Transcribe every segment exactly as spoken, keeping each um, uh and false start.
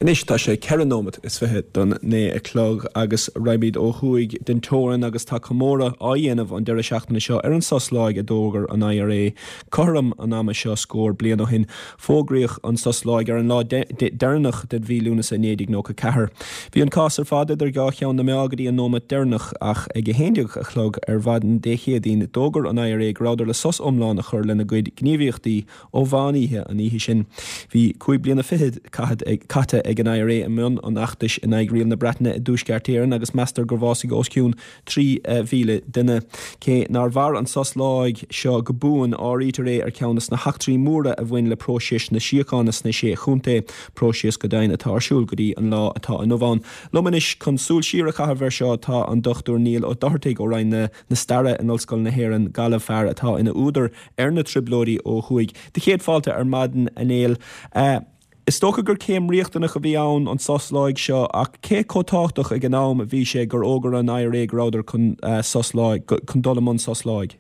Anois tá sé ceithre nóiméad is fiche don naoi a chlog agus raghaimid ó thuaidh den teorainn agus tá comóradh á dhéanamh an deireadh seachtaine seo ar an sos láig a d'fhógair an I R A cothrom an ama seo scór bliain ó shin. Fógraíodh an sos láig ar an lá deireanach de mhí Lúnasa naoi déag nócha ceathair. Bhí an cás ar fad idir dhá cheann na meá go dtí an nóiméad deireanach, ach ag a haon déag a chlog ar mhaidin Dé Céadaoin d'fhógair an I R A go rabhadar le sos iomlán a chur lena gcuid gníomhaíochtaí ó mheán oíche an oíche sin. Bhí cúig bliana fichead caite ag an I R A i mbun an fheachtais in aghaidh riail na Breataine i dTuaisceart Éireann agus meastar gur bhásaigh os cionn trí mhíle duine. Cé nár mhair an sos láig seo go buan, áirítear é ar cheann de na heachtraí móra a bhain le próiseas na síochána sna sé chontae, próiseas go deimhin atá ar siúl go dtí an lá atá inniu ann. Liom anois chun súil siar a chaitheamh air seo tá an Dochtúir Niall Ó Dochartaigh ó Roinn na, na Staire in Ollscoil na hÉireann, Gaillimh, fear atá ina údar ar na trioblóidí ó thuaidh. Do chéad fáilte ar maidin, a Néill. Uh, Is dócha gur céim riachtanach a bhí ann an sos láig seo, ach cé chomh tábhachtach ag an am a bhí sé gur fhógair an I R A go rabhadar chun uh, sos láig chun dul i mbun sos láig?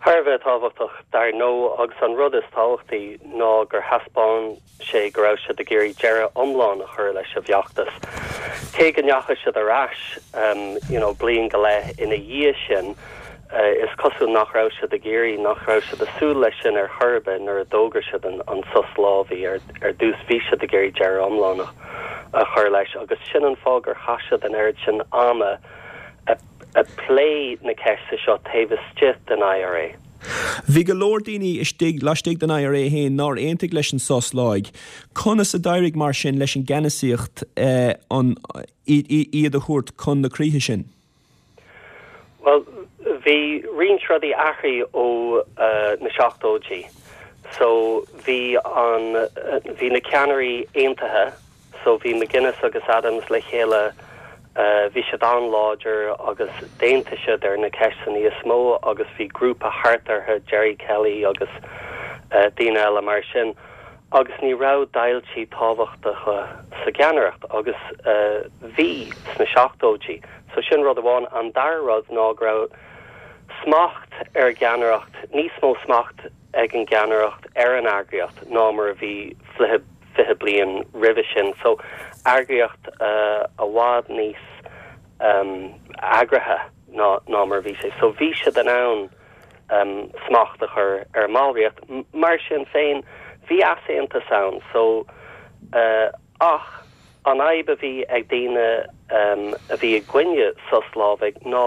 Thar a bheith tábhachtach dar ndóigh, agus an rud is tábhachtaí ná gur thaispeáin sé go raibh siad ag iarraidh deireadh iomlán a chur leis an bhfeachtas. Cé go ndeachaigh siad ar ais um, you know, bliain go leith ina dhiaidh sin, uh, is cosúil nach raibh siad ag iarraidh, nach raibh siad ag súil leis sin ar chor ar bith nuair a d'fhógair siad an, an sos láimhe ar, ar dtús. Bhí siad ag iarraidh deireadh iomlán a chur leis, agus sin an fáth gur chaith siad an oiread sin ama a, a plé na ceiste seo taobh istigh den I R A. Bhí go leor daoine istigh laistigh den I R A féin nár aontaigh leis an sos láig. Conas a d'éirigh mar sin leis an gceannasaíocht eh, an iad a thabhairt chun na críche sin? Well, bhí roinnt rudaí athraithe ó uh, na seachtóidí. So bhí an uh, bhí na ceannairí aontaithe, so bhí McGuinness agus Adams le chéile, uh, bhí siad an-láidir agus d'aontaigh siad ar na ceisteanna níos mó, agus bhí grúpa thart orthu, Gerry Kelly agus uh, daoine eile mar sin, agus ní raibh deighiltí tábhachtacha sa gceannaireacht agus uh, bhí sna seachtóidí. So sin rud amháin. An dara rud ná go raibh smacht ar gceannaireacht, níos mó smacht ag an gceannaireacht ar an eagraíocht ná mar a bhí fiche fiche bliain roimhe sin, so eagraíocht uh, i bhfad níos um, eagraithe ná ná mar bhí sé, so bhí siad in ann um, smacht a chur ar an mballraíocht. Mar sin féin, bhí easaontas ann, so uh, ach an fhadhb a bhí ag daoine um, a bhí i gcoinne sos láimhe ná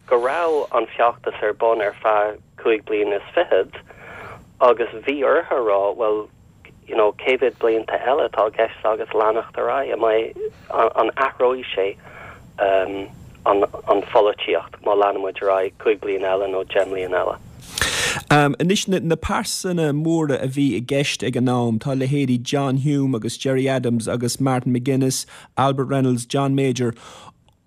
go raibh an feachtas ar bun ar feadh cúig bliana is fichead, agus bhí orthu rá, well, you know cé mhéad blianta eile atá i gceist agus leanacht ar aghaidh, an, an athróidh sé um, an, an pholaitíocht má leanaimid ar aghaidh cúig bliana eile nó deich mbliana eile? Um, Anois na, na pearsana móra a bhí i gceist ag an am, tá leithéidí John Hume agus Gerry Adams agus Martin McGuinness, Albert Reynolds, John Major.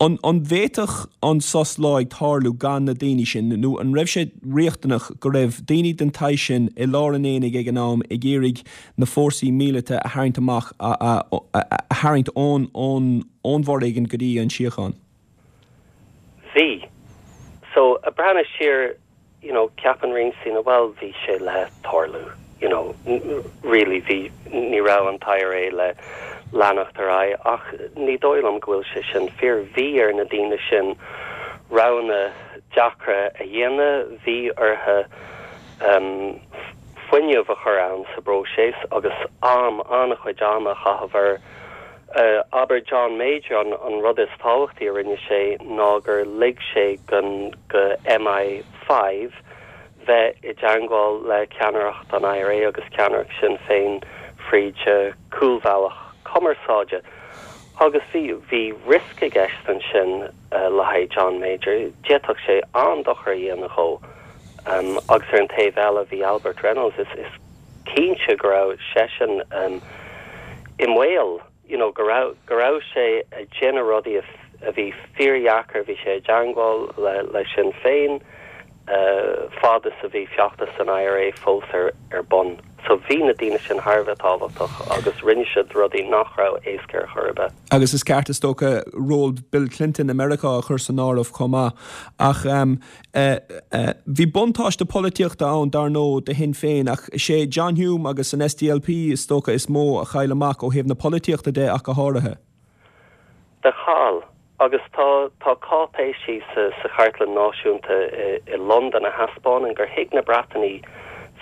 An, an bhféadfadh an sos láig tarlú gan na daoine sin, nó an raibh sé riachtanach go raibh daoine den tsaghas sin i lár an aonaigh ag an am ag iarraidh na fórsaí míleata a tharraingt amach, a, a, a, a tharraingt ón ón ón bhforéigean go dtí an síocháin? Bhí. So ag breathnú siar, you know ceapann roinnt daoine, well, bhí sé le tarlú, you know really bhí ní raibh an I R A le leanacht ar aghaidh, ach ní dóigh liom go bhfuil sé sin fíor. Bhí ar na daoine sin roghanna deacra a dhéanamh, bhí orthu um, fuinneamh a chur ann sa bpróiseas agus am, an-chuid ama a chaitheamh air. uh, abair John Major, an, an rud is tábhachtaí a rinne sé ná gur lig sé gan go M I five bheith i dteagmháil le ceannaireacht an I R A agus ceannaireacht Sinn Féin fríd cúlbhealach cumarsáide. Agus bhí bhí riosca i gceist ansin uh, le haghaidh John Major, d'fhéadfadh sé an-dochar a dhéanamh dó. um, agus ar an taobh eile bhí Albert Reynolds, is, is cinnte go raibh seisean um, i mbaol, you know, go raibh go raibh sé ag déanamh rudaí a bhí fíordheacair. Bhí sé i dteagmháil le, le Sinn Féin uh, fad is a bhí feachtas an I R A fós ar, ar bun. So bhí na daoine sin thar a bheith tábhachtach agus rinne siad rudaí nach raibh éasca ar chor ar bith. Agus is ceart is dócha ról Bill Clinton i Meiriceá a chur san áireamh chomh maith. Ach um, uh, uh, bhí buntáiste polaitíochta ann dar ndóigh do Shinn Féin ach sé John Hume agus an SDLP is dócha is mó a chaill amach ó thaobh na polaitíochta de ach go háirithe. Do chaill agus tá tá cáipéisí sa, sa Chartlann Náisiúnta i, i Londain a thaispeánann gur thuig na Breatanaigh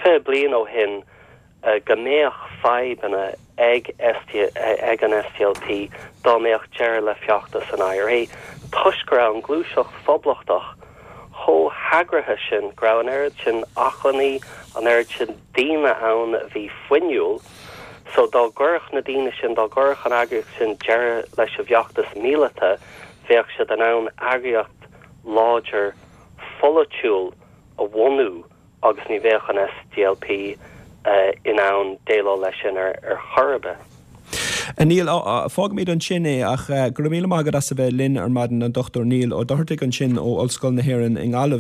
fiche bliain ó shin uh, go mbeadh fadhbanna ag ST, ag an SDLP dá mbeadh deireadh le feachtas an IRA toisc go raibh an ghluaiseacht phoblachtach chomh heagraithe sin go raibh an oiread sin acmhainní an oiread sin daoine ann a bhí fuinniúil so dá gcuirfeadh na daoine sin dá gcuirfeadh an eagraíocht sin deireadh leis an bhfeachtas míleata bheadh siad in ann eagraíocht láidir pholaitiúil a bhunú agus ní bheadh an SDLP uh, in ann déileáil leis sin ar ar chor ar bith. Neil fágfaimid ansin é ach go raibh míle maith agat as a bheith linn ar maidin an Dr Neil Ó Dochartaigh ansin ó Ollscoil na hÉireann i nGaillimh.